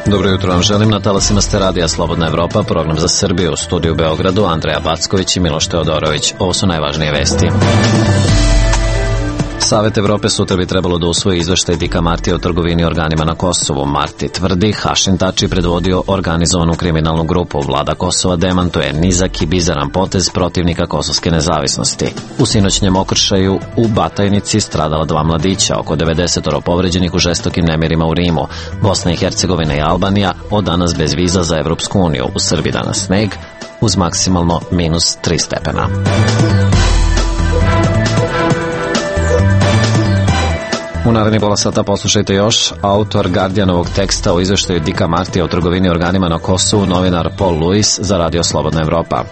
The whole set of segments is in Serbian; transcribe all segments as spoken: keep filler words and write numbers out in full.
Dobro jutro vam želim, na talasima ste radija Slobodna Evropa, program za Srbiju, u studiju u Beogradu, Andreja Backović i Miloš Teodorović. Ovo su najvažnije vesti. Savet Evrope sutra bi trebalo da usvoji izveštaj Dika Martija o trgovini organima na Kosovu. Marti tvrdi, Hašim Tači predvodio organizovanu kriminalnu grupu. Vlada Kosova demantuje nizak i bizaran potez protivnika kosovske nezavisnosti. U sinoćnjem okršaju u Batajnici stradala dva mladića, oko devedeset povređenih u žestokim nemirima u Rimu. Bosna i Hercegovina i Albanija od danas bez viza za Evropsku uniju. U Srbiji danas sneg uz maksimalno minus tri stepena. U narednih pola sata poslušajte još. Autor Guardianovog teksta o izveštaju Dika Martija o trgovini organima na Kosovu, novinar Paul Lewis za Radio Slobodna Evropa.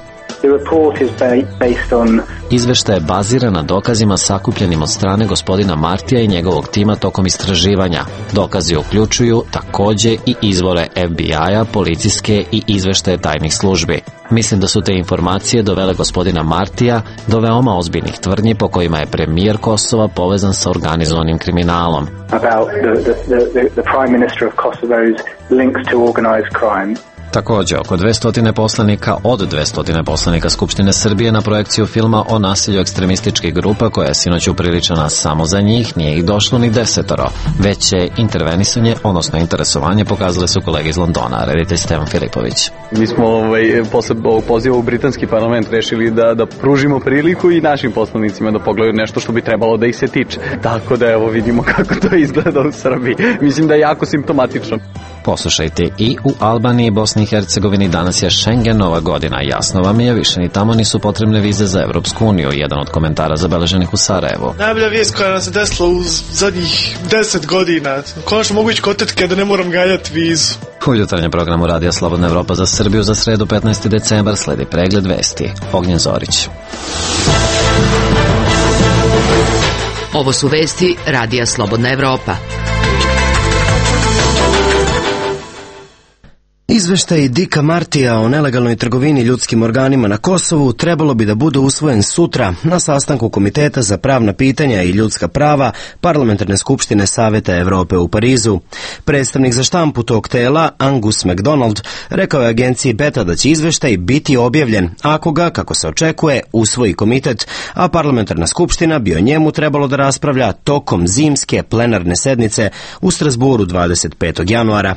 Izveštaj je baziran na dokazima sakupljenim od strane gospodina Martija i njegovog tima tokom istraživanja. Dokazi uključuju takođe i izvore F B I-a, policijske i izveštaje tajnih službi. Mislim da su te informacije dovele gospodina Martija do veoma ozbiljnih tvrdnji po kojima je premijer Kosova povezan sa organizovanim kriminalom. About the, the, the, the Prime Minister of Kosovo's links to organized crime. Takođe, oko dvesta poslanika od dvesta poslanika Skupštine Srbije na projekciju filma o nasilju ekstremističkih grupa koja je sinoć upriličena samo za njih, nije ih došlo ni desetoro. Već je intervenisanje, odnosno interesovanje, pokazali su kolege iz Londona. Reditelj Stevan Filipović. Mi smo ovaj, posle ovog poziva u britanski parlament rešili da, da pružimo priliku i našim poslanicima da pogledaju nešto što bi trebalo da ih se tiče. Tako da evo vidimo kako to izgleda u Srbiji. Mislim da je jako simptomatično. Poslušajte, i u Albaniji i Bosni i Hercegovini danas je Schengenova godina. Jasno vam je, više ni tamo nisu potrebne vize za Evropsku uniju. Jedan od komentara zabeleženih u Sarajevu. Najbolja vijest koja nam se desila u zadnjih deset godina. Konačno mogu ići kod tetke da ne moram ganjati vizu. U jutarnjem programu Radija Slobodna Evropa za Srbiju za sredu petnaesti decembar sledi pregled vesti. Ognjen Zorić. Ovo su vesti Radija Slobodna Evropa. Izveštaj Dika Martija o nelegalnoj trgovini ljudskim organima na Kosovu trebalo bi da bude usvojen sutra na sastanku Komiteta za pravna pitanja i ljudska prava Parlamentarne skupštine Saveta Evrope u Parizu. Predstavnik za štampu tog tela, Angus MacDonald, rekao je agenciji Beta da će izveštaj biti objavljen ako ga, kako se očekuje, usvoji komitet, a Parlamentarna skupština bi o njemu trebalo da raspravlja tokom zimske plenarne sednice u Strasburu dvadeset petog januara.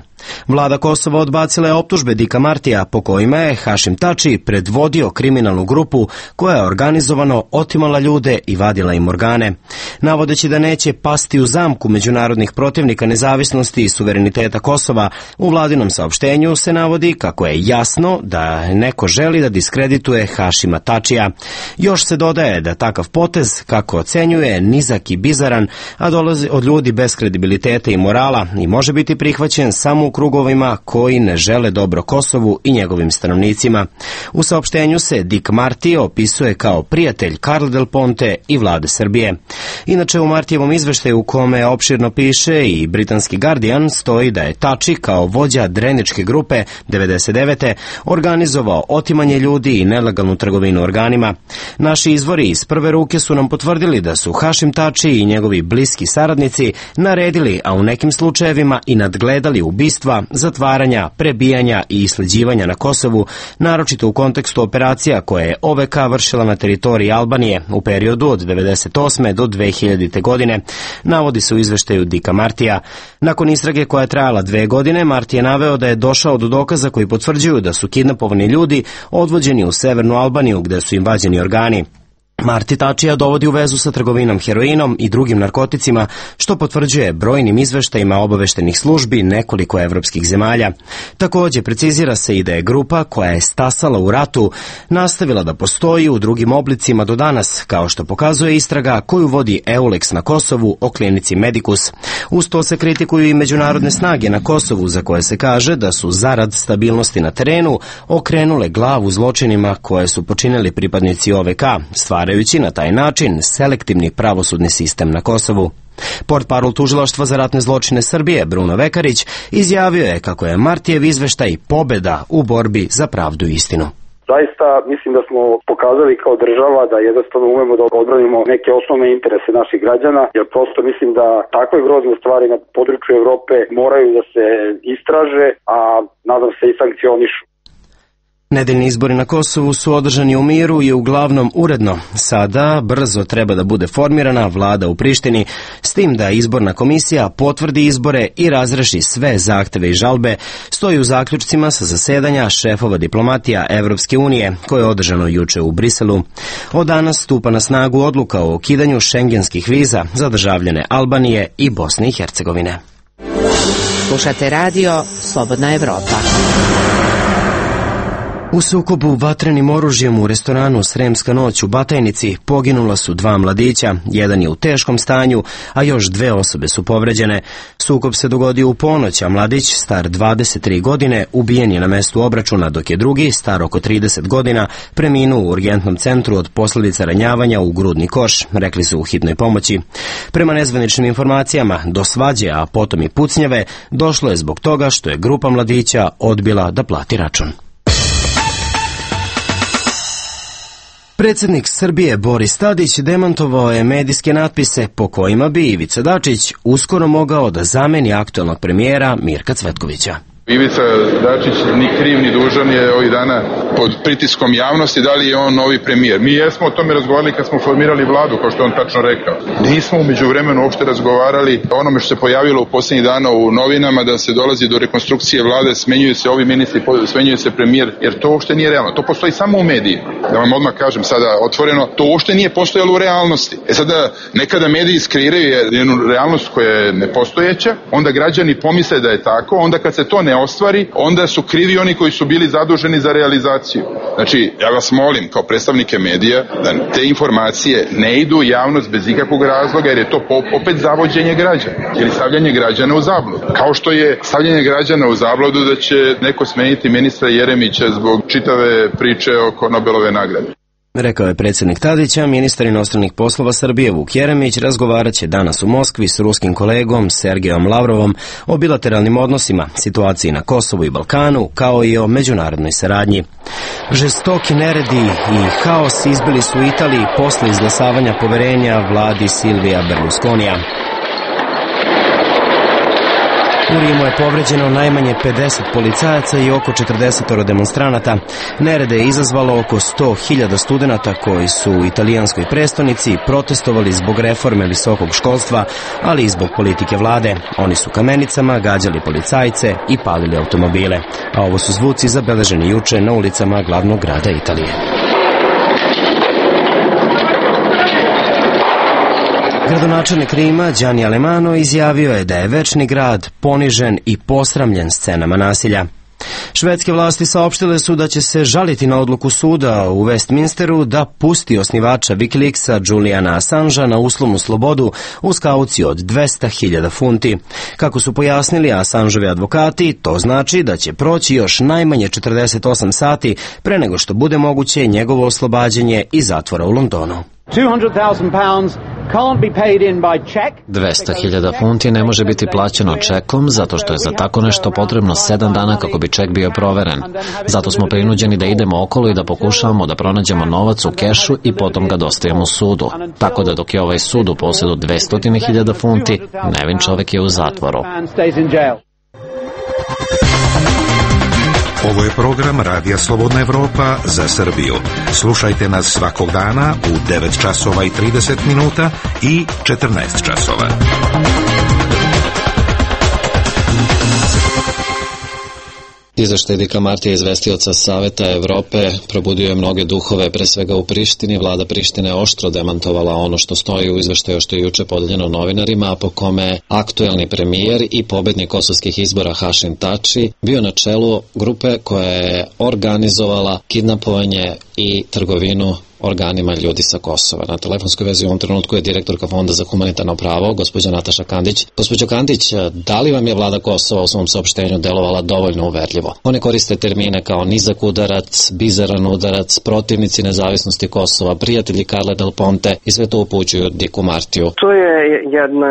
Vlada Kosova odbacila je optužbe Dika Martija po kojima je Hašim Tači predvodio kriminalnu grupu koja je organizovano otimala ljude i vadila im organe. Navodeći da neće pasti u zamku međunarodnih protivnika nezavisnosti i suvereniteta Kosova, u vladinom saopštenju se navodi kako je jasno da neko želi da diskredituje Hašima Tačija. Još se dodaje da takav potez, kako ocenjuje, nizak i bizaran, a dolazi od ljudi bez kredibiliteta i morala i može biti prihvaćen samo u krugovima koji ne žele dobro Kosovu i njegovim stanovnicima. U saopštenju se Dik Marti opisuje kao prijatelj Carla Del Ponte i vlade Srbije. Inače, u Martijevom izveštaju u kome opširno piše i britanski Guardian stoji da je Tači kao vođa dreničke grupe devedeset devete organizovao otimanje ljudi i nelegalnu trgovinu organima. Naši izvori iz prve ruke su nam potvrdili da su Hašim Tači i njegovi bliski saradnici naredili, a u nekim slučajevima i nadgledali ubistva, zatvaranja, prebijanja i isleđivanja na Kosovu, naročito u kontekstu operacija koje je O V K vršila na teritoriji Albanije u periodu od devedeset osme do dve hiljadite. godine, navodi se u izveštaju Dika Martija. Nakon istrage koja je trajala dve godine, Marti je naveo da je došao do dokaza koji potvrđuju da su kidnapovani ljudi odvođeni u severnu Albaniju gde su im vađeni organi. Marti Tačija dovodi u vezu sa trgovinom heroinom i drugim narkoticima, što potvrđuje brojnim izveštajima obaveštenih službi nekoliko evropskih zemalja. Takođe, precizira se i da je grupa koja je stasala u ratu nastavila da postoji u drugim oblicima do danas, kao što pokazuje istraga koju vodi EULEX na Kosovu o klinici Medicus. Uz to se kritikuju i međunarodne snage na Kosovu, za koje se kaže da su zarad stabilnosti na terenu okrenule glavu zločinima koje su počinili pripadnici O V K, stvarajući na taj način selektivni pravosudni sistem na Kosovu. Portparol Tužilaštva za ratne zločine Srbije, Bruno Vekarić, izjavio je kako je Martijev izveštaj pobeda u borbi za pravdu i istinu. Zaista mislim da smo pokazali kao država da jednostavno umemo da odbranimo neke osnovne interese naših građana, jer prosto mislim da takve grozne stvari na području Evrope moraju da se istraže, a nadam se i sankcionišu. Nedeljni izbori na Kosovu su održani u miru i uglavnom uredno. Sada brzo treba da bude formirana vlada u Prištini, s tim da izborna komisija potvrdi izbore i razreši sve zahteve i žalbe, stoji u zaključcima sa zasedanja šefova diplomatija Evropske unije, koje je održano juče u Briselu. Od danas stupa na snagu odluka o ukidanju šengenskih viza za državljane Albanije i Bosne i Hercegovine. Slušate radio Slobodna Evropa. U sukobu vatrenim oružjem u restoranu Sremska noć u Batajnici poginula su dva mladića, jedan je u teškom stanju, a još dve osobe su povređene. Sukob se dogodio u ponoć, a mladić, star dvadeset tri godine, ubijen je na mestu obračuna, dok je drugi, star oko trideset godina, preminuo u urgentnom centru od posljedica ranjavanja u grudni koš, rekli su u hitnoj pomoći. Prema nezvaničnim informacijama, do svađe, a potom i pucnjave, došlo je zbog toga što je grupa mladića odbila da plati račun. Predsjednik Srbije Boris Tadić demantovao je medijske natpise po kojima bi Ivica Dačić uskoro mogao da zameni aktualnog premijera Mirka Cvetkovića. Ivica Dačić ni kriv ni dužan je ovih dana pod pritiskom javnosti da li je on novi premijer. Mi jesmo o tome razgovarali kad smo formirali vladu, kao što on tačno rekao. Nismo u međuvremenu uopšte razgovarali o onome što se pojavilo u posljednjih dana u novinama, da se dolazi do rekonstrukcije vlade, smenjuju se ovi ministri, smenjuje se premijer, jer to uopšte nije realno. To postoji samo u medijima. Da vam odmah kažem sada otvoreno, to uopšte nije postojalo u realnosti. E sada, nekada mediji skrivaju jednu realnost koja je nepostojeća, onda građani pomisle da je tako, onda kad se to ne ostvari, onda su krivi oni koji su bili zaduženi za realizaciju. Znači, ja vas molim kao predstavnike medija da te informacije ne idu u javnost bez ikakvog razloga, jer je to opet zavođenje građana ili stavljanje građana u zabludu. Kao što je stavljanje građana u zabludu da će neko smeniti ministra Jeremića zbog čitave priče oko Nobelove nagrade. Rekao je predsjednik Tadića. Ministar inostranih poslova Srbije Vuk Jeremić razgovarat će danas u Moskvi s ruskim kolegom Sergejom Lavrovom o bilateralnim odnosima, situaciji na Kosovu i Balkanu, kao i o međunarodnoj saradnji. Žestoki neredi i haos izbili su u Italiji posle izglasavanja poverenja vladi Silvija Berlusconija. U Rimu je povređeno najmanje pedeset policajaca i oko četrdeset demonstranata. Nerede je izazvalo oko sto hiljada studenata koji su u italijanskoj prestonici protestovali zbog reforme visokog školstva, ali i zbog politike vlade. Oni su kamenicama gađali policajce i palili automobile. A ovo su zvuci zabeleženi juče na ulicama glavnog grada Italije. Gradonačelnik Rima, Gianni Alemano, izjavio je da je večni grad ponižen i posramljen scenama nasilja. Švedske vlasti saopštile su da će se žaliti na odluku suda u Westminsteru da pusti osnivača Wikileaksa Juliana Assangea na uslovnu slobodu uz kauciju od dvesta hiljada funti. Kako su pojasnili Assangeovi advokati, to znači da će proći još najmanje četrdeset osam sati pre nego što bude moguće njegovo oslobađanje iz zatvora u Londonu. dvesta hiljada funti ne može biti plaćeno čekom zato što je za tako nešto potrebno sedam dana kako bi ček bio proveren. Zato smo prinuđeni da idemo okolo i da pokušavamo da pronađemo novac u kešu i potom ga dostavimo sudu. Tako da dok je ovaj sud u posjedu dvesta hiljada funti, nevin čovek je u zatvoru. Ovo je program Radija Slobodna Evropa za Srbiju. Slušajte nas svakog dana u devet časova i trideset minuta i četrnaest časova. Izveštaj Dika Martija, izvestioca Saveta Evrope, probudio je mnoge duhove, pre svega u Prištini. Vlada Prištine je oštro demantovala ono što stoji u izveštaju što je juče podeljeno novinarima, a po kome aktuelni premijer i pobednik kosovskih izbora Hašim Tači bio na čelu grupe koja je organizovala kidnapovanje i trgovinu organima ljudi sa Kosova. Na telefonskoj vezi u ovom trenutku je direktorka Fonda za humanitarno pravo, gospođa Nataša Kandić. Gospođo Kandić, da li vam je vlada Kosova u svom saopštenju delovala dovoljno uverljivo? One koriste termine kao nizak udarac, bizaran udarac, protivnici nezavisnosti Kosova, prijatelji Carle Del Ponte i sve to upućuju Diku Martiju. To je jedna,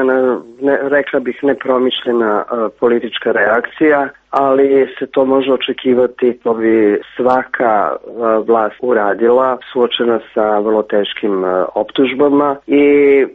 ne, rekla bih, nepromišljena uh, politička reakcija. ali se to može očekivati, to bi svaka vlast uradila, suočena sa vrlo teškim optužbama i e,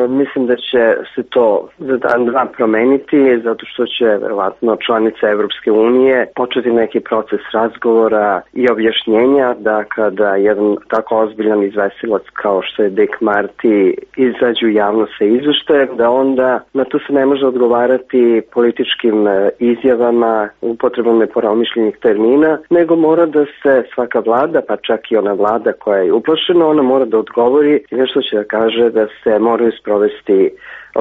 mislim da će se to za dan dva promeniti, zato što će verovatno članice Evropske unije početi neki proces razgovora i objašnjenja da kada jedan tako ozbiljan izvestilac kao što je Dick Marty izađu javno sa izveštajem, da onda na to se ne može odgovarati političkim izjavama, upotrebom nepromišljenih termina, nego mora da se svaka vlada, pa čak i ona vlada koja je uplašena, ona mora da odgovori i nešto će da kaže da se moraju sprovesti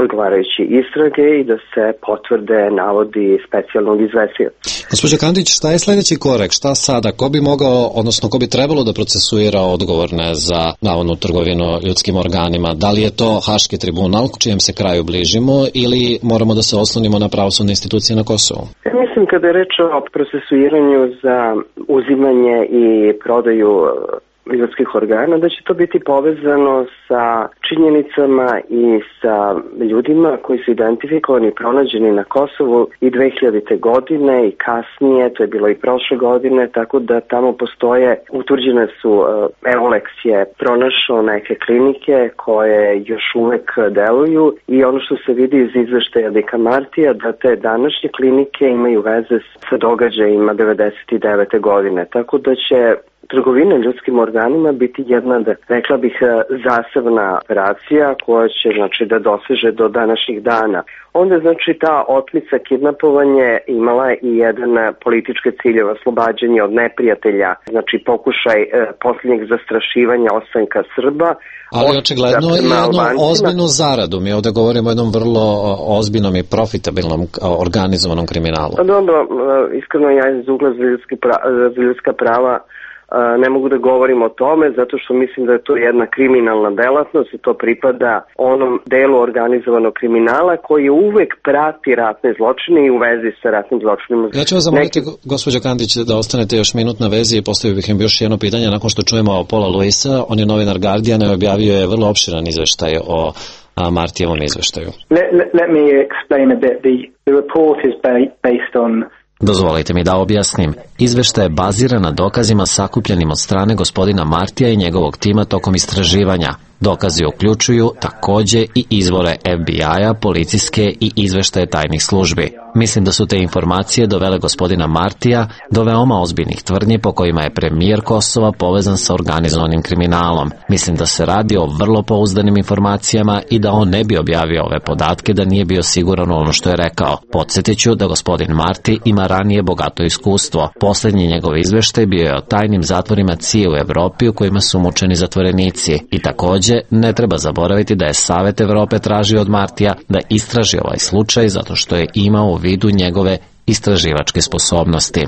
odgovarajući istrage i da se potvrde navodi specijalnog izvestioca. Gospođo Kandić, šta je sledeći korak? Šta sada? Ko bi mogao, odnosno ko bi trebalo da procesuira odgovorne za navodnu trgovinu ljudskim organima? Da li je to Haški tribunal, čijem se kraju bližimo, ili moramo da se oslonimo na pravosudne institucije na Kosovu? Ja mislim kada je reč o procesuiranju za uzimanje i prodaju ljudskih organa, da će to biti povezano sa činjenicama i sa ljudima koji su identifikovani i pronađeni na Kosovu i dve hiljadite. godine i kasnije, to je bilo i prošle godine, tako da tamo postoje, utvrđene su, Eulex je pronašao neke klinike koje još uvek deluju i ono što se vidi iz izveštaja Dicka Martija, da te današnje klinike imaju veze sa događajima devedeset devete. godine, tako da će trgovina ljudskim organima biti jedna, da, rekla bih, zasebna operacija koja će, znači, da doseže do današnjih dana. Onda, znači, ta otmica, kidnapovanje imala i jedan politički ciljev, oslobađanje od neprijatelja, znači pokušaj e, posljednjeg zastrašivanja ostanka Srba. Ali očigledno je jednu ozbiljnu zaradu. Mi ovde govorimo o jednom vrlo ozbiljnom i profitabilnom organizovanom kriminalu. Dobro, iskreno ja iz ugla za, pra, za ljudska prava ne mogu da govorim o tome, zato što mislim da je to jedna kriminalna delatnost i to pripada onom delu organizovanog kriminala koji uvek prati ratne zločine i u vezi sa ratnim zločinima. Ja ću vas zamoliti, Neki... gospođo Kandić, da ostanete još minut na vezi i postavio bih im još jedno pitanje nakon što čujemo Paula Luisa. On je novinar Guardiana i objavio je vrlo opširan izveštaj o Martijevom izveštaju. Let, let, let me explain a bit. The, the report is based on Dozvolite mi da objasnim. Izveštaj je baziran na dokazima sakupljenim od strane gospodina Martija i njegovog tima tokom istraživanja. Dokazi uključuju takođe i izvore F B I-a, policijske i izveštaje tajnih službi. Mislim da su te informacije dovele gospodina Martija do veoma ozbiljnih tvrdnji po kojima je premijer Kosova povezan sa organizovanim kriminalom. Mislim da se radi o vrlo pouzdanim informacijama i da on ne bi objavio ove podatke da nije bio siguran u ono što je rekao. Podsjetiću da gospodin Marti ima ranije bogato iskustvo. Poslednji njegov izveštaj bio je o tajnim zatvorima C I A u Evropi u kojima su mučeni zatvorenici. I takođe ne treba zaboraviti da je Savet Evrope tražio od Martija da istraži ovaj slučaj zato što je imao u vidu njegove istraživačke sposobnosti.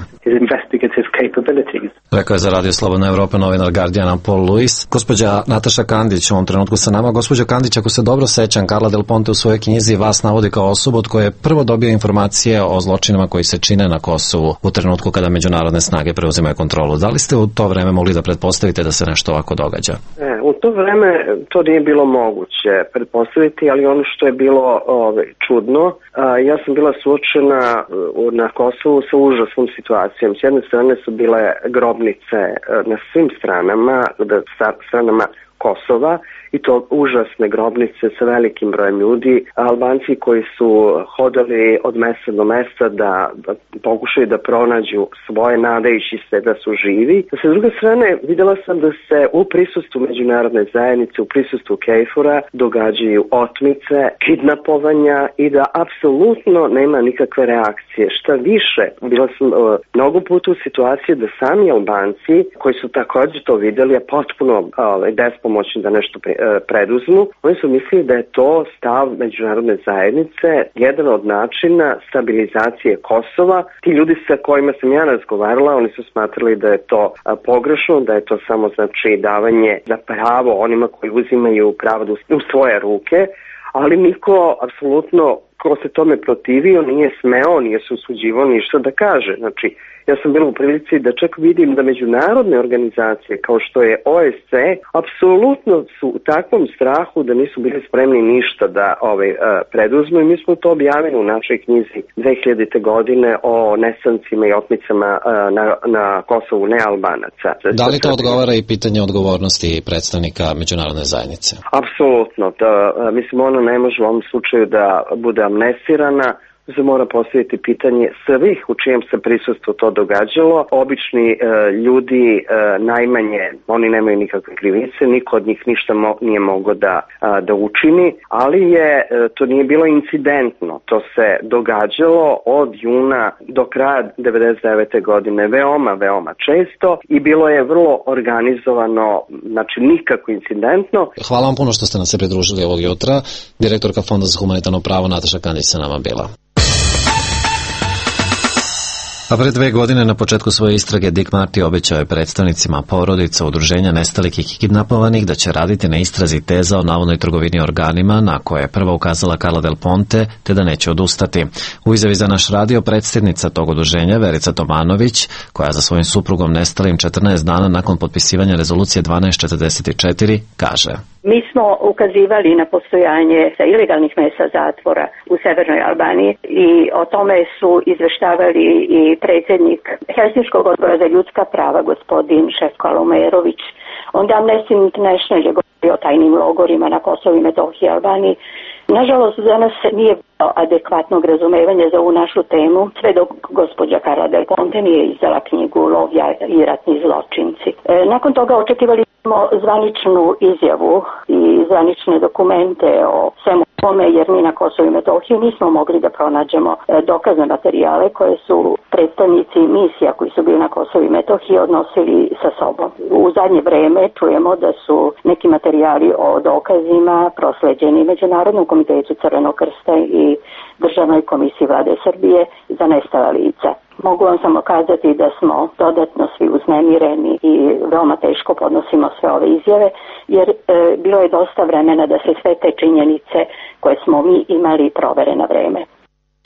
Rekao je za Radio Slobodna Evropa novinar Guardiana Paul Luis. Gospođa Nataša Kandić u ovom trenutku sa nama. Gospođa Kandić, ako se dobro sećam, Carla Del Ponte u svojoj knjizi vas navodi kao osobu od koje je prvo dobio informacije o zločinima koji se čine na Kosovu u trenutku kada međunarodne snage preuzimaju kontrolu. Da li ste u to vreme mogli da pretpostavite da se nešto ovako događa? E, u to vreme to nije bilo moguće pretpostaviti, ali ono što je bilo ove, čudno, a, ja sam bila suočena na Kosovu sa užasnom situacijom. S jedne strane su bile grobnice na svim stranama, stranama Kosova, i to užasne grobnice sa velikim brojem ljudi, Albanci koji su hodali od mesta do mesta da, da pokušaju da pronađu svoje, nadajući se da su živi. Sa druge strane, videla sam da se u prisustvu međunarodne zajednice, u prisustvu KFOR-a događaju otmice, kidnapovanja i da apsolutno nema nikakve reakcije. Šta više, bila sam uh, mnogo puta u situaciji da sami Albanci, koji su također to videli, a potpuno uh, bespomoćni da nešto pre, preduzmu, oni su mislili da je to stav međunarodne zajednice, jedan od načina stabilizacije Kosova. Ti ljudi sa kojima sam ja razgovarala, oni su smatrali da je to pogrešno, da je to samo, znači, davanje za pravo onima koji uzimaju pravo u svoje ruke, ali niko apsolutno ko se tome protivio nije smeo, nije se usuđivao ništa da kaže. Znači, ja sam bila u prilici da čak vidim da međunarodne organizacije kao što je O E C E apsolutno su u takvom strahu da nisu bili spremni ništa da ovaj, preduzmu i mi smo to objavili u našoj knjizi dve hiljadite godine o nesancima i otmicama na, na Kosovu nealbanaca. Da li to odgovara i pitanje odgovornosti predstavnika međunarodne zajednice? Apsolutno. Da, mislim, ona ne može u ovom slučaju da bude amnestirana, se mora postaviti pitanje svih u čijem se prisustvu to događalo. Obični e, ljudi e, najmanje, oni nemaju nikakve krivice, niko od njih ništa mo, nije mogao da, a, da učini, ali je, e, to nije bilo incidentno, to se događalo od juna do kraja devedeset devete godine veoma, veoma često i bilo je vrlo organizovano, znači nikako incidentno. Hvala vam puno što ste nam se pridružili ovog jutra. Direktorka Fonda za humanitarno pravo Nataša Kandić sa nama bila. A pre dve godine na početku svoje istrage Dick Marty obećao je predstavnicima porodica, udruženja nestalih i kidnapovanih da će raditi na istrazi teza o navodnoj trgovini organima na koje je prva ukazala Carla Del Ponte, te da neće odustati. U izjavi za naš radio predsjednica tog udruženja Verica Tomanović, koja za svojim suprugom nestalim četrnaest dana nakon potpisivanja rezolucije dvanaest četrdeset četiri, kaže: Mi smo ukazivali na postojanje ilegalnih mesa zatvora u severnoj Albaniji i o tome su izveštavali i predsjednik Helsinškog odbora za ljudska prava, gospodin Šefko Alumerović. Onda Amnesty International je govorio o tajnim logorima na Kosovu i Metohiji i Albaniji. Nažalost, za nas nije bilo adekvatnog razumevanja za ovu našu temu, sve dok gospođa Carla Del Ponte nije izdala knjigu Lovlja i ratni zločinci. E, nakon toga očekivali smo zvaničnu izjavu i zvanične dokumente o svemu tome, jer mi na Kosovu i Metohiji nismo mogli da pronađemo dokazne materijale koje su predstavnici misija koji su bili na Kosovu i Metohiji odnosili sa sobom. U zadnje vreme čujemo da su neki materijali o dokazima prosleđeni Međunarodnom komitetu Crvenog krsta i Državnoj komisiji Vlade Srbije za nestala lica. Mogu vam samo kazati da smo dodatno svi uznemireni i veoma teško podnosimo sve ove izjave, jer e, bilo je dosta vremena da se sve te činjenice koje smo mi imali provere na vreme.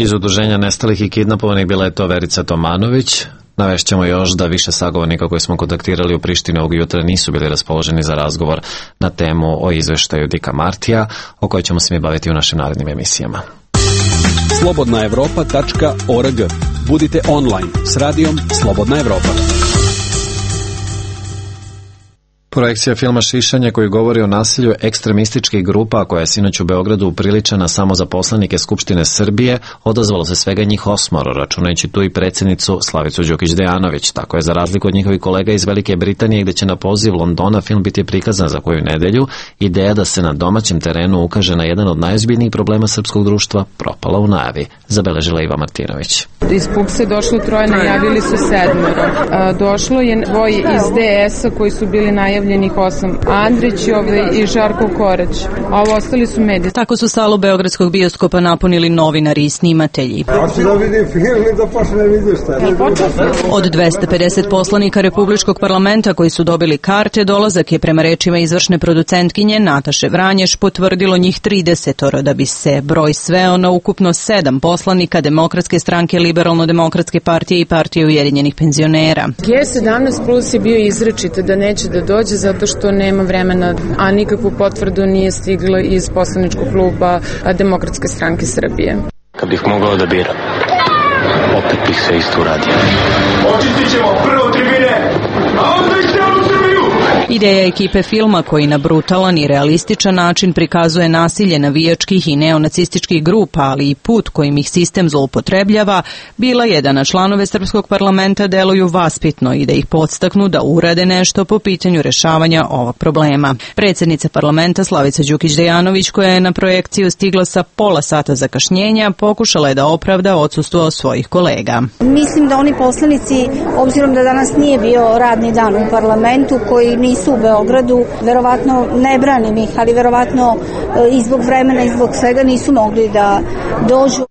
Iz udruženja nestalih i kidnapovanih bila je to Verica Tomanović. Navešćemo još da više sagovornika koje smo kontaktirali u Prištini ovog jutra nisu bili raspoloženi za razgovor na temu o izveštaju Dicka Martija, o kojoj ćemo se mi baviti u našim narednim emisijama. slobodna evropa tačka org. Budite online s radijom Slobodna Evropa. Projekcija filma Šišanje koji govori o nasilju ekstremističkih grupa koja je sinoć u Beogradu upriličena samo za poslanike Skupštine Srbije, odazvalo se svega njih osmoro, računajući tu i predsjednicu Slavicu Đukić-Dejanović. Tako je za razliku od njihovih kolega iz Velike Britanije, gde će na poziv Londona film biti prikazan za koju nedelju, ideja da se na domaćem terenu ukaže na jedan od najozbiljnijih problema srpskog društva propala u najavi, zabeležila Iva Martinović. Iz Pukse došlo troje, najavili su sedmero. Došlo je dvoje iz D S-a koji su bili najavljeni njih osam, Andrić i Žarko Korać, a ovo ostali su mediji. Tako su salu beogradskog bioskopa napunili novinari i snimatelji. Od dvesta pedeset poslanika Republičkog parlamenta koji su dobili karte, dolazak je prema rečima izvršne producentkinje Nataše Vranješ potvrdilo njih tridesetoro, da bi se broj sveo na ukupno sedam poslanika Demokratske stranke, Liberalno-demokratske partije i partije Ujedinjenih penzionera. G sedamnaest plus je bio izrečito da neće da dođe zato što nema vremena, a nikakvu potvrdu nije stigla iz poslaničkog kluba Demokratske stranke Srbije. Kad bih mogao da biram, opet bih se isto uradio. Očistit ćemo prvo tribine, a onda i celu Srbiju! Ideja ekipe filma koji na brutalan i realističan način prikazuje nasilje navijačkih i neonacističkih grupa, ali i put kojim ih sistem zloupotrebljava, bila je da na članove Srpskog parlamenta deluju vaspitno i da ih podstaknu da urade nešto po pitanju rešavanja ovog problema. Predsjednica parlamenta Slavica Đukić-Dejanović, koja je na projekciju stigla sa pola sata zakašnjenja, pokušala je da opravda odsustvo svojih kolega. Mislim da oni poslanici, obzirom da danas nije bio radni dan u parlamentu, koji nisu u Beogradu, verovatno ne branim ih, ali verovatno i zbog vremena i zbog svega nisu mogli da dođu.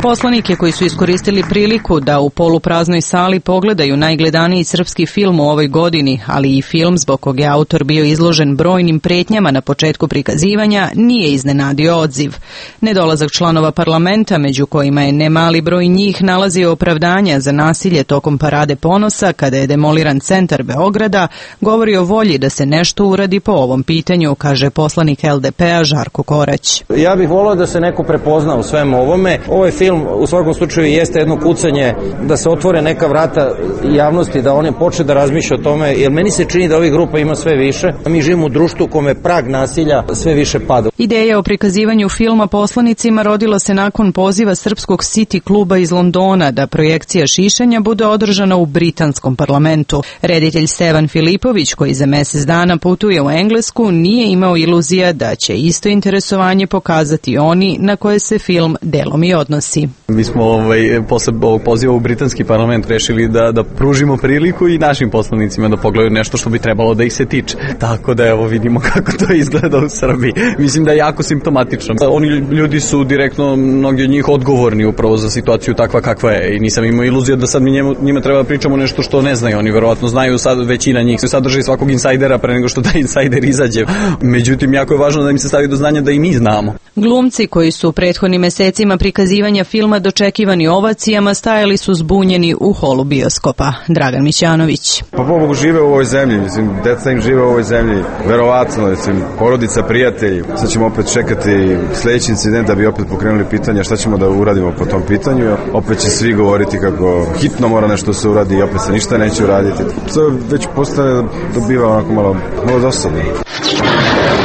Poslanike koji su iskoristili priliku da u polupraznoj sali pogledaju najgledaniji srpski film u ovoj godini, ali i film zbog kog je autor bio izložen brojnim pretnjama na početku prikazivanja, nije iznenadio odziv. Nedolazak članova parlamenta, među kojima je nemali broj njih nalazio opravdanja za nasilje tokom Parade ponosa kada je demoliran centar Beograda, govori o volji da se nešto uradi po ovom pitanju, kaže poslanik L D P-a Žarko Korać. Ja bih volio da se neko prepozna u svemu ovome. Ovaj film u svakom slučaju jeste jedno kucanje da se otvore neka vrata javnosti, da one počne da razmišlja o tome, jer meni se čini da ovih grupa ima sve više. Mi živimo u društvu u kome prag nasilja sve više pada. Ideja o prikazivanju filma poslanicima rodila se nakon poziva srpskog City kluba iz Londona da projekcija šišanja bude održana u britanskom parlamentu. Reditelj Stevan Filipović, koji za mesec dana putuje u Englesku, nije imao iluzija da će isto interesovanje pokazati oni na koje se film delom i odnosi. Mi smo ovaj, posle ovog poziva u britanski parlament rešili da, da pružimo priliku i našim poslanicima da pogledaju nešto što bi trebalo da ih se tiče. Tako da evo vidimo kako to izgleda u Srbiji. Mislim da je jako simptomatično. Oni ljudi su direktno, mnogi od njih, odgovorni upravo za situaciju takva kakva je i nisam imao iluzija da sad mi njemu, njima treba da pričamo nešto što ne znaju. Oni verovatno znaju, sad većina njih se sadrži svakog insajdera pre nego što taj insajder izađe. Međutim, jako je važno da im se stavi do znanja da i mi znamo. Glumci koji su prethodnim mesecima prikazivanja filma dočekivani ovacijama stajali su zbunjeni u holu bioskopa. Dragan Mićanović. Pa pobogu žive u ovoj zemlji, mislim, deca im žive u ovoj zemlji, verovatno, mislim, porodica, prijatelji. Sad ćemo opet čekati sledeći incident da bi opet pokrenuli pitanja šta ćemo da uradimo po tom pitanju. Opet će svi govoriti kako hitno mora nešto se uradi i opet se ništa neće uraditi. To već postaje, dobiva onako malo, malo dosadno.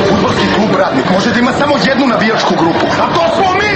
Fudbalski klub Radnik može da ima samo jednu navijačku grupu, a to smo mi!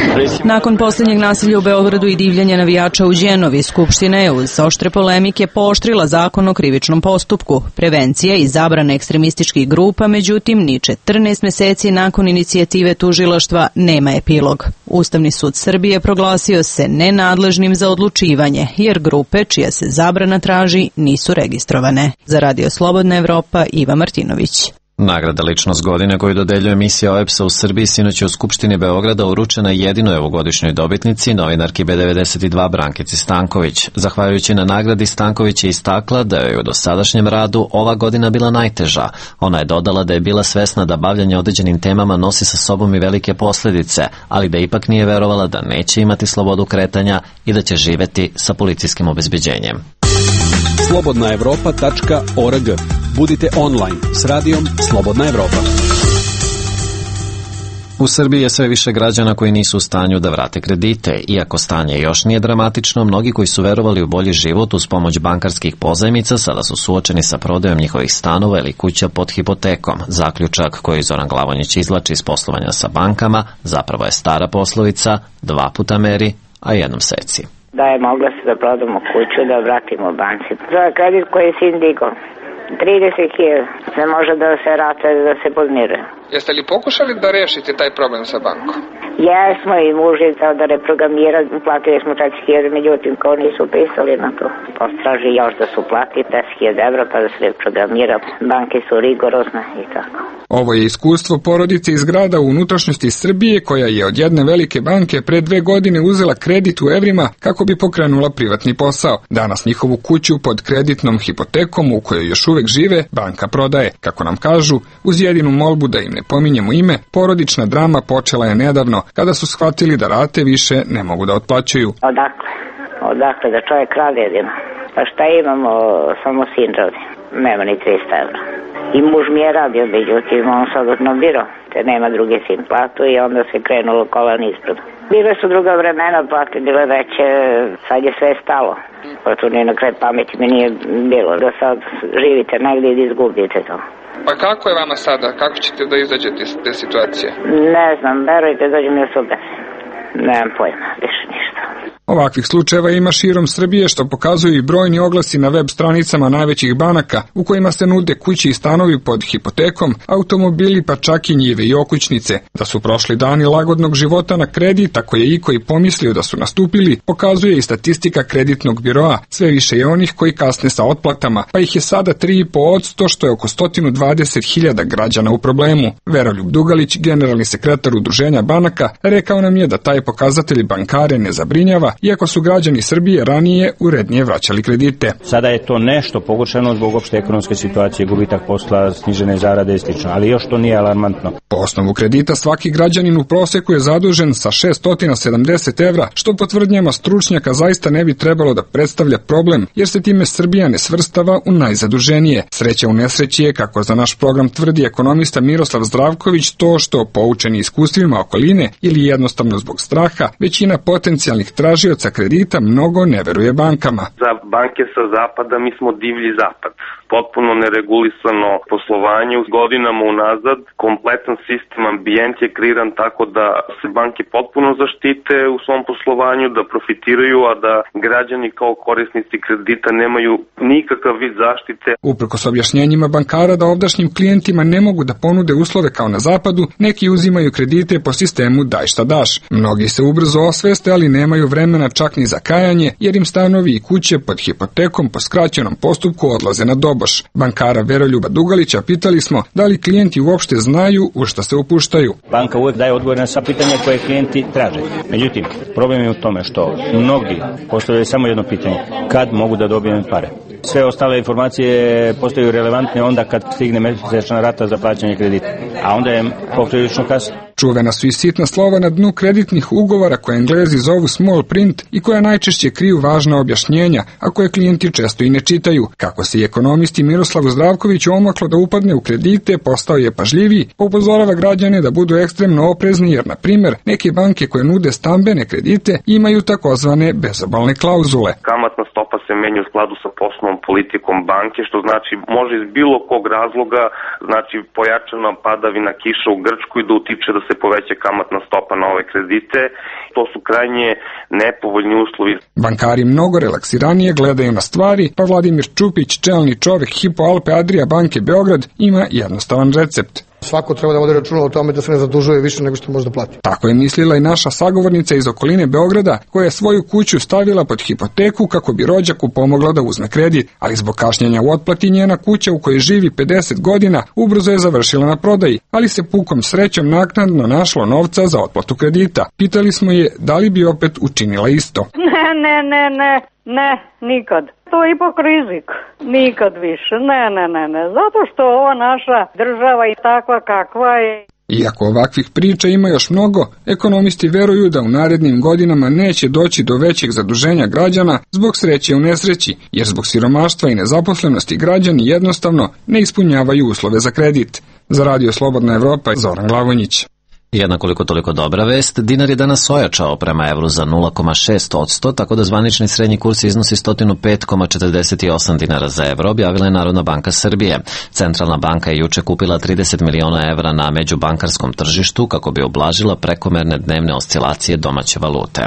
Nakon posljednjeg nasilja u Beogradu i divljanja navijača u Đenovi, Skupština je uz oštre polemike pooštrila zakon o krivičnom postupku. Prevencija i zabrana ekstremističkih grupa, međutim, ni četrnaest meseci nakon inicijative tužilaštva nema epilog. Ustavni sud Srbije proglasio se nenadležnim za odlučivanje, jer grupe čija se zabrana traži nisu registrovane. Za Radio Slobodna Evropa, Iva Martinović. Nagrada Ličnost godine koju dodeljuje emisija O E P S-a u Srbiji sinoć je u Skupštini Beograda uručena jedinoj ovogodišnjoj dobitnici, novinarki B devedeset dva Brankici Stanković. Zahvaljujući na nagradi, Stanković je istakla da je u dosadašnjem radu ova godina bila najteža. Ona je dodala da je bila svesna da bavljanje određenim temama nosi sa sobom i velike posljedice, ali da ipak nije verovala da neće imati slobodu kretanja i da će živeti sa policijskim obezbeđenjem. slobodna evropa tačka org. Budite online s radijom Slobodna Evropa. U Srbiji je sve više građana koji nisu u stanju da vrate kredite. Iako stanje još nije dramatično, mnogi koji su verovali u bolji život uz pomoć bankarskih pozajmica sada su suočeni sa prodajom njihovih stanova ili kuća pod hipotekom. Zaključak koji Zoran Glavonjić izvlači iz poslovanja sa bankama zapravo je stara poslovica: dva puta meri, a jednom seci. Da je mogla se da prodamo kuću, da vratimo banci. Za kredit koji je sin digao, trideset hiljada se može da se rata, da se podmiruje. Jeste li pokušali da rešite taj problem sa bankom? Jesmo, i muž je dao da reprogramira, platili smo četiri hiljade, međutim kao nisu pisali na to. Postraži još da su platili deset hiljada evra pa da se reprogramira. Banke su rigorozne i tako. Ovo je iskustvo porodice iz grada u unutrašnjosti Srbije koja je od jedne velike banke pre dve godine uzela kredit u evrima kako bi pokrenula privatni posao. Danas njihovu kuću pod kreditnom hipotekom u kojoj još uvek žive banka prodaje. Kako nam kažu, uz jedinu molbu da im ne pominjemo ime, porodična drama počela je nedavno kada su shvatili da rate više ne mogu da otplaćuju. Odakle? Odakle da čovjek radi jedino? Pa šta imamo, samo sin radi. Nema ni trista evra. I muž mi je radio, međutim, on sad odnobirao, te nema druge sin platu i onda se krenulo kolan ispred. Bile su druga vremena, plate bile veće, sad je sve stalo. Pa tu nije na kraj pameti mi nije bilo da sad živite negdje i izgubite to. Pa kako je vama sada? Kako ćete da izađete iz te situacije? Ne znam, verujte, dođe mi u sube. Nemam pojma, više ništa. Ovakvih slučajeva ima širom Srbije, što pokazuju i brojni oglasi na web stranicama najvećih banaka u kojima se nude kuće i stanovi pod hipotekom, automobili pa čak i njive i okućnice. Da su prošli dani lagodnog života na kredit, ako je iko i pomislio da su nastupili, pokazuje i statistika kreditnog biroa. Sve više je onih koji kasne sa otplatama, pa ih je sada tri i po posto, što je oko sto dvadeset hiljada građana u problemu. Veroljub Dugalić, generalni sekretar Udruženja banaka, rekao nam je da taj pokazatelj bankare ne zabrinjava, iako su građani Srbije ranije urednije vraćali kredite. Sada je to nešto pogoršano zbog opšte ekonomske situacije, gubitak posla, snižene zarade i slično, ali još to nije alarmantno. Po osnovu kredita svaki građanin u proseku je zadužen sa šessto sedamdeset evra, što po tvrdnjama stručnjaka zaista ne bi trebalo da predstavlja problem, jer se time Srbija ne svrstava u najzaduženije. Sreća u nesreći je, kako za naš program tvrdi ekonomista Miroslav Zdravković, to što, poučeni iskustvima okoline ili jednostavno zbog straha, većina potencijalnih tražioca kredita mnogo ne veruje bankama. Za banke sa zapada mi smo divlji zapad. Potpuno neregulisano poslovanje uz godinama unazad, kompletan sistem, ambijent je kreiran tako da se banke potpuno zaštite u svom poslovanju, da profitiraju, a da građani kao korisnici kredita nemaju nikakav vid zaštite. Uprkos objašnjenjima bankara da ovdašnjim klijentima ne mogu da ponude uslove kao na zapadu, neki uzimaju kredite po sistemu daj šta daš. Mnogi se ubrzo osveste, ali nemaju vremena čak ni za kajanje, jer im stanovi i kuće pod hipotekom po skraćenom postupku odlaze na doboš. Bankara Veroljuba Dugalića pitali smo da li klijenti uopšte znaju u šta se upuštaju. Banka uvek daje odgovore na sva pitanja koje klijenti traže. Međutim, problem je u tome što mnogi postavljaju samo jedno pitanje: kad mogu da dobijem pare? Sve ostale informacije postaju relevantne onda kad stigne mesečna rata za plaćanje kredita, a onda je poprilično kasno. Čuvena su i sitna slova na dnu kreditnih ugovora koje Englezi zovu small print i koja najčešće kriju važna objašnjenja, a koje klijenti često i ne čitaju. Kako se i ekonomisti Miroslavu Zdravkoviću omaklo da upadne u kredite, postao je pažljiviji, pa upozorava građane da budu ekstremno oprezni, jer, na primjer, neke banke koje nude stambene kredite imaju takozvane bezobalne klauzule. Kamatna stopa se menja u skladu sa poslovnom politikom banke, što znači može iz bilo kog razloga, znači pojačana padavina kiša u Grčkoj da utiče da se poveća kamatna stopa na ove kredite. To su krajnje nepovoljni uslovi. Bankari mnogo relaksiranije gledaju na stvari, pa Vladimir Čupić, čelni čovek Hypo Alpe Adria banke Beograd, ima jednostavan recept. Svako treba da vodi računa o tome da se ne zadužuje više nego što može da plati. Tako je mislila i naša sagovornica iz okoline Beograda, koja je svoju kuću stavila pod hipoteku kako bi rođaku pomogla da uzme kredit, ali zbog kašnjenja u otplati njena kuća u kojoj živi pedeset godina ubrzo je završila na prodaji, ali se pukom srećom naknadno našlo novca za otplatu kredita. Pitali smo je da li bi opet učinila isto. Ne, ne, ne, ne, ne, nikad. To je ipak rizik. Nikad više. Ne, ne, ne, ne. Zato što ova naša država je takva kakva je. Iako ovakvih priča ima još mnogo, ekonomisti veruju da u narednim godinama neće doći do većeg zaduženja građana zbog sreće u nesreći, jer zbog siromaštva i nezaposlenosti građani jednostavno ne ispunjavaju uslove za kredit. Za Radio Slobodna Evropa, Zoran Glavonjić. Jedna koliko toliko dobra vest, dinar je danas ojačao prema evru za nula zarez šest posto, tako da zvanični srednji kurs iznosi sto pet zarez četrdeset osam dinara za evro, objavila je Narodna banka Srbije. Centralna banka je juče kupila trideset miliona evra na međubankarskom tržištu kako bi oblažila prekomerne dnevne oscilacije domaće valute.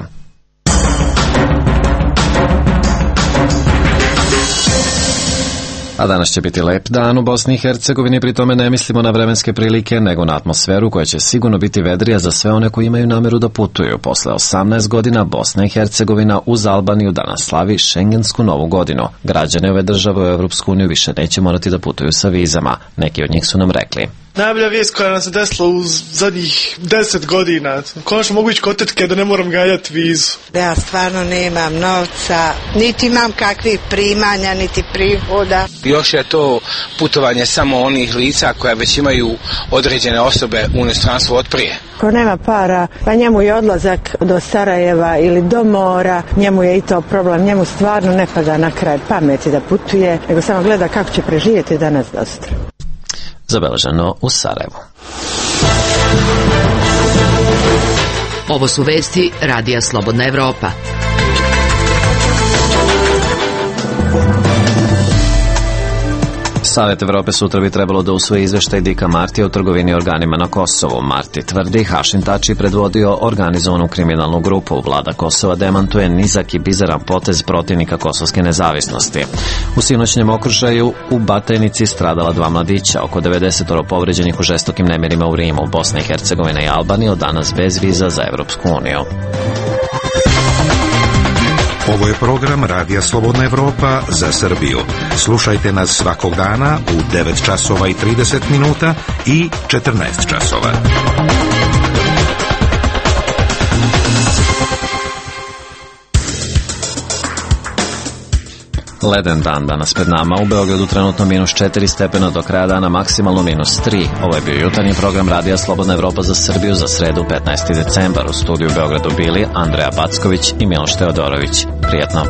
A danas će biti lep dan u Bosni i Hercegovini, pri tome ne mislimo na vremenske prilike, nego na atmosferu koja će sigurno biti vedrija za sve one koji imaju nameru da putuju. Posle osamnaest godina Bosna i Hercegovina uz Albaniju danas slavi Šengensku novu godinu. Građani ove države u Evropsku uniju više neće morati da putuju sa vizama. Neki od njih su nam rekli: najbolja vijest koja nam se desila u zadnjih deset godina. Konačno mogu ići kod tetke da ne moram ganjati vizu. Ja stvarno nemam novca, niti imam kakvih primanja, niti prihoda. Još je to putovanje samo onih lica koja već imaju određene osobe u inostranstvu od prije. Ko nema para, pa njemu je odlazak do Sarajeva ili do mora, njemu je i to problem, njemu stvarno ne pada na kraj pameti da putuje, nego samo gleda kako će preživjeti danas do sutra. Zabeleženo u Sarajevu. Ovo su vesti Radija Slobodna Evropa. Savet Evrope sutra bi trebalo da usvoji izveštaj Dika Martija o trgovini organima na Kosovu. Marti tvrdi, Hašim Tači predvodio organizovanu kriminalnu grupu. Vlada Kosova demantuje nizak i bizaran potez protivnika kosovske nezavisnosti. U sinoćnjem okršaju u Batajnici stradala dva mladića, oko devedeset povređenih u žestokim nemirima u Rimu, Bosna i Hercegovina i Albanija od danas bez viza za Evropsku uniju. Ovo je program Radija Slobodna Evropa za Srbiju. Slušajte nas svakog dana u devet časova i trideset minuta i četrnaest časova. Leden dan danas pred nama, u Beogradu trenutno minus četiri stepena, do kraja dana maksimalno minus tri. Ovo je bio jutarnji program Radija Slobodna Evropa za Srbiju za sredu petnaesti decembar. U studiju u Beogradu bili Andreja Backović i Miloš Teodorović. Prijetno.